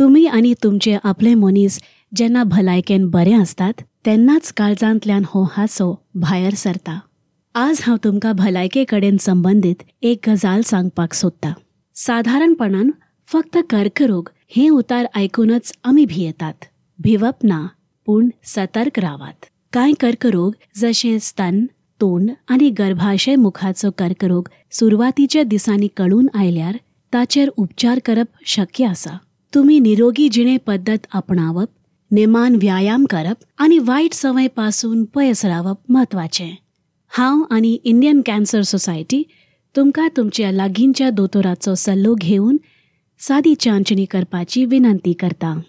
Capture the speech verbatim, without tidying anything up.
तुमी आनी तुमचे आपले मनीस जेन्ना भलायकेन बरे आसतात तेन्नाच काळजांतल्यान हो हांसो भायर सरता. आज हांव तुमकां भलायके कडेन संबंदीत एक गजाल सांगपाक सोदता. सादारणपणान फक्त कर्करोग हें उतार आयकूनच आमी भियेतात. भिवप ना, पूण सतर्क रावात. कांय कर्करोग जशें स्तन, तोंड आनी गर्भाशय मुखाचो कर्करोग सुरवातीच्या दिसांनी कळून आयल्यार ताचेर उपचार करप शक्य आसा. तुमी निरोगी जिणे पद्दत आपणावप, नेमान व्यायाम करप आनी वायट संवय पासून पयस रावप म्हत्वाचें. हांव आनी इंडियन कॅन्सर सोसायटी तुमकां तुमच्या लागींच्या दोतोराचो सल्लो घेवन सादी चांचणी करपाची विनंती करता.